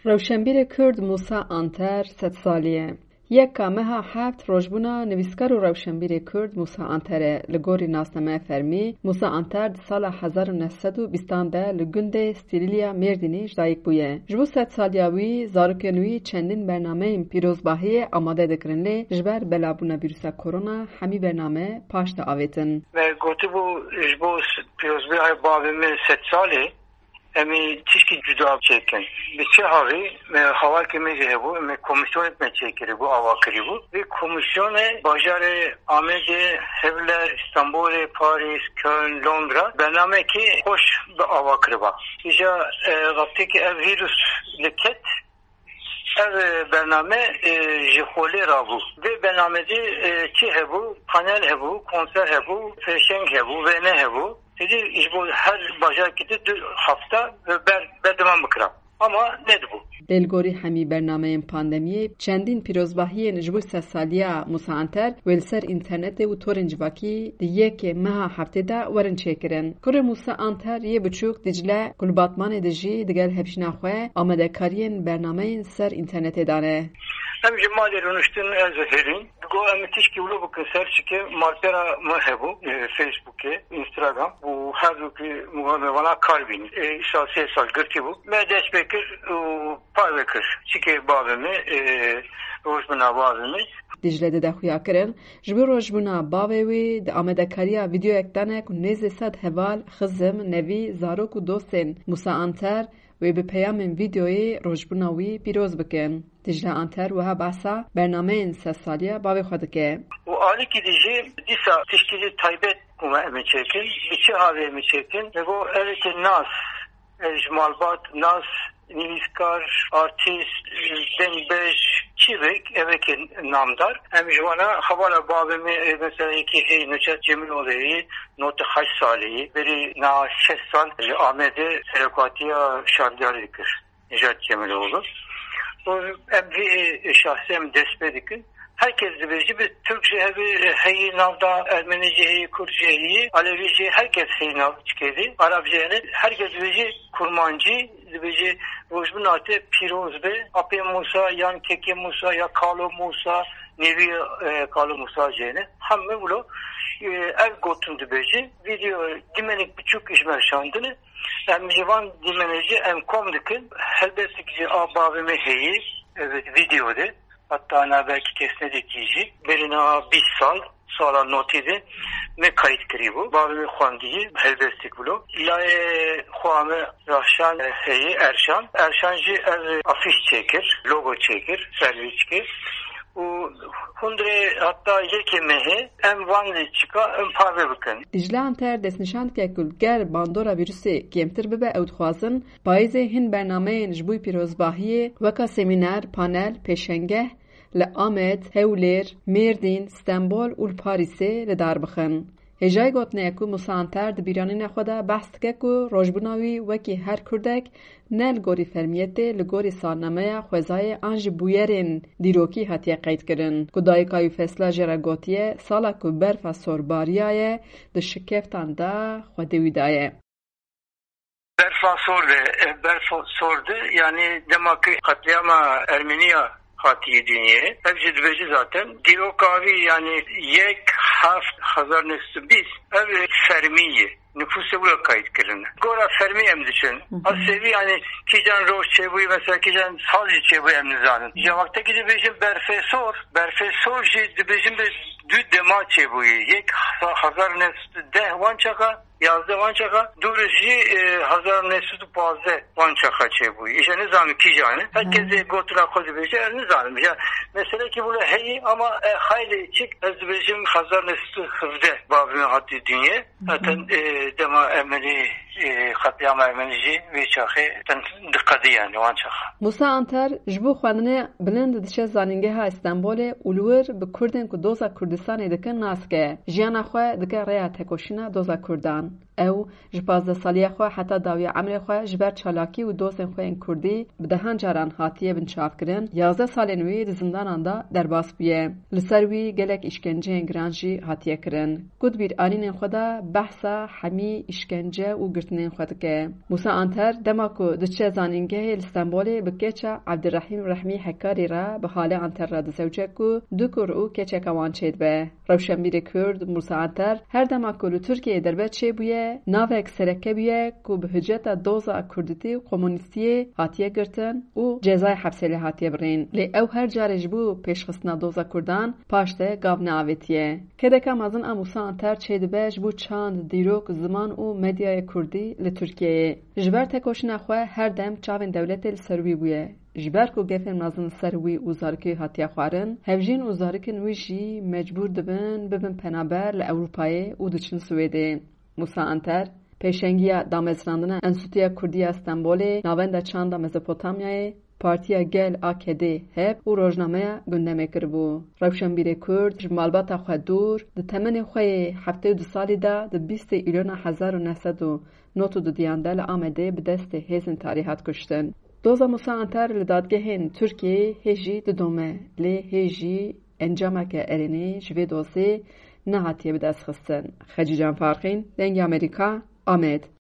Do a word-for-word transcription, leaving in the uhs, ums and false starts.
Rewşenbîrê Kurd Musa Anter sed salî ye. Yeka meha heft rojbûna nivîskar û rewşenbîrê Kurd Musa Anter e. Li gorî nasnameya fermî, Musa Anter di sala hezar û neh sed û bîstan de li gundê Stîlîlya Mêrdînê ji dayik bûye. Ji bo sed saliya wî, zarokên wî çendîn bernameyên pîrozbahiyê amade dikirin, lê ji ber belabûna vîrusa korona hemî bername paş de avêtin. Me gotibû, ji bo s-, pîrozbahiyê bavê me sed salê, em ê tişkî cuda çêkin. Bi çi havî? Me hawakê me jî hebû, me komîsyonek me çêkirî bû, ava kirî bû. Vê komîsyonê bajarê Amedê, Hewler, Stenbolê, Parîs, Köln, Londra bernamekî xweş bi ava kiriba. Îja, e, wextê ki ev vîrus li ket, ev, e, bername, e, ji xolê rabû. Vê bernamê de, e, çi hebû? Panel hebû, konser hebû, pêşeng hebû, wêne hebû. Êdî ji bo her bajarekî de du hefte ber, berdewam bikira. Ama nedibû. Lê li gorî hemî bernameyên pandemiyê, çendîn pîrozbahiyên ji bo sedsaliya Musa Anter wê li ser înternetê û torên civakî di yekê meha heftê de werin çêkirin. Kurê Musa Anter yê biçûk Dicle, ku li Batmanê dijî, digel hevjîna xwe amadekariyên bernameyên ser înternetê dane. Em ji malê rûniştin, ez û Hêrîn. Digo em tişkî wilo bikin ser çike malpera me hebû, e, Facebookê, Instagram û her du ki muhamevana kar bîn. E, îsa sê sal girtî bû. Me dest pê kir û parve kir. Çike bavê me, e, rojbûna bavê me. Dicle dide xuya kirin, ji bo rojbûna bavê wî di amadekariya vîdeoyek dane ku nêzî sed heval, xizim, nevî, zarok û dostên Musa Anter wê bi peyamên vîdeoyê rojbûna wî pîroz bikin. Dicle Anter wiha behsa bernameyên sedsaliya bavê xwe dike. Û alîkî dijî dîsa tişkî jî taybet bûme em ê çêkin. Bi çi havê em ê çêkin? Li bo evekê nas, e, ji malbat nas, nivîskar, artîst, dengbêj, çîvek, evekê namdar. Em ji wana hevala bavê me, e, mesela yekî heyî Necat Cemîloğlu heyî, notî heşt salî yî, berî niha şeş sal li Amedê serokatiya şaredarî dikir. Necat Cemîloğlu. Û em vî, e, şahsê em dest pê dikin. Her kes dibêjî, bi Tirk jî hebe, e, heyî nav da, Ermenî jî heyî, Kurd jî heyî, Alevî jî, her kes heyî nav çikê dî, Arab jî hene, her kes dibêjî Kurmancî, dibêjî rojbûna te pîroz be, Apê Musa yan Kekê Musa ya Kalo Musa, nevî, e, Kalo Musa jî hene. Hemû wilo, e, ev gotin dibêjî. Vîdeo dîmenek biçûk ji me şandine. Em ji van dîmenê jî em kom dikin. Helbestik jî a bavê me heyî, e, vîdeo de. Heta na belkî kes nedîtî jî. Berî niha bîst sal, sala notî de me kayît kirî bû. Bavê me xwendiyî, helbestik bilo. Layê xwe me Rahşan heyî, Erşan. Erşan jî ev afîş çêkir, logo çêkir, servî çêkir. Û hundirê heta yekê mehê em van lê çika em parve bikin. Dicle Anter destnîşan dike ku ger bandora vîrusê kêmtir bibe, ew dixwazin payîzê hin bernameyên ji bo pîrozbahiyê weka semîner, panel, pêşengeh li Amed, Hewlêr, Mêrdîn, Stenbol û li Parîsê li dar bixin. Hêjayî gotinê ye ku Musa Anter di bîranîna xwe de behs dike ku rojbûna wî wekî her Kurdek ne li gorî fermiyetê, li gorî salnameya xwezayê an jî bûyerên dîrokî hatiye qeydkirin, ku dayika wî Fesla jê re gotiye, sala ku berfa sor bariyaye, di şikeftan de xwedê wî daye. Berfa sor de, e, berfa sor de, yanî dema ku qetlîama Ermeniya hatiye dinyê, ev jî dibêje zaten. Dîroka wî, yanî yek heft hezar neh sed û bîst, ev fermî ye. Nifûsê wilo kayît kirine. Gora fermî em diçin. Hı hı. A sêvî, yanî kîjan roj çêbûyî, mesela kîjan sal jî çêbûyî em nizanin. Ji wextekî dibêjin berfê sor, berfê sor jî dibêjin bi du dema çêbûyî. Yek hezar neh sed û deh wan çaxa, yazdeh wan çaxa, dû re jî, e, hezar neh sed û pazdeh wan çaxa çêbûyî. Îja nizanim kîjan e. Her kes, hı, ê gotina xwe dibêje, ez nizanim. Ya meselekî wilo heyî ama, e, xeylê çik, ez dibêjim hezar neh sed û hevdeh bavê min hatî dinyê. Zaten, e, dema Ermenî, e, qetlîama Ermenî jî vê çaxê zaten diqedî, yanî wan çaxa. Musa Anter ji bo xwendinê bilind diçe Zanîngeha Stenbolê û li wir bi Kurdên ku doza Kurdistanê dikin nas dike. Jiyana xwe dike rêya tekoşîna doza Kurdan. Ew ji pazdeh saliya xwe heta dawiya emrê xwe ji ber çalakî û dostên xwe yên kurdî bi dehan caran hatiye binçavkirin, yazdeh salên wî di zindanan de derbas bûye. Li ser wî gelek îşkenceyên giran jî hatiye kirin. Ku di bîranînên xwe de behsa hemî îşkence û girtinên xwe dike. Mûsa Anter dema ku diçe zanîngehê li Stenbolê bi keça Ebdirehîm Rehmî Hekarî re bi Hale Anter re dizewce ku du kur û keçeka wan çêdibe. Rewşenbîrê Kurd Mûsa Anter her dema ku li Tirkiyeyê derbe çêbûye, navek sereke bûye ku bi hiceta doza kurdîtî û komunîstiyê hatiye girtin û cezayê hepsê lê hatiye birîn. Lê ew her carê ji bo pêşxistina doza kurdan paş de gav neavêtiye. Kedeka mezin a Mûsa Anter çêdibe ji bo çand, dîrok, ziman û medyaya kurdî li Tirkiyeyê. Ji ber tekoşîna xwe her dem çavên dewletê li ser wî bûye. Ji ber ku gefên mezin li ser wî û zarikê wî hatiye xwarin, hevjîn û zarikên wî jî mecbûr dibin bibin penaber li Ewropayê û diçin Swêdê. Mûsa Anter, pêşengiya damezrandina Enstîtuya Kurdî ya Stenbolê, Navenda Çanda Mezopotamyayê, Partiya Gel A K D, HEP û rojnameya Gundemê kiribû. Rewşenbîrê Kurd ji malbata xwe dûr, di temenê xwe yê heftê û du salî de di bîstê Îlona hezar û neh sed û nod û dudiyan de li Amedê bi destê hêzên tarî hat kuştin. Doza Mûsa Anter li dadgehên Tirkiyeyê hê jî didome, lê hê jî encameke erênî ji vê dozê nehatiye bidestxistin. Xecîcan Farqîn, Dengê Amerîka, Amed.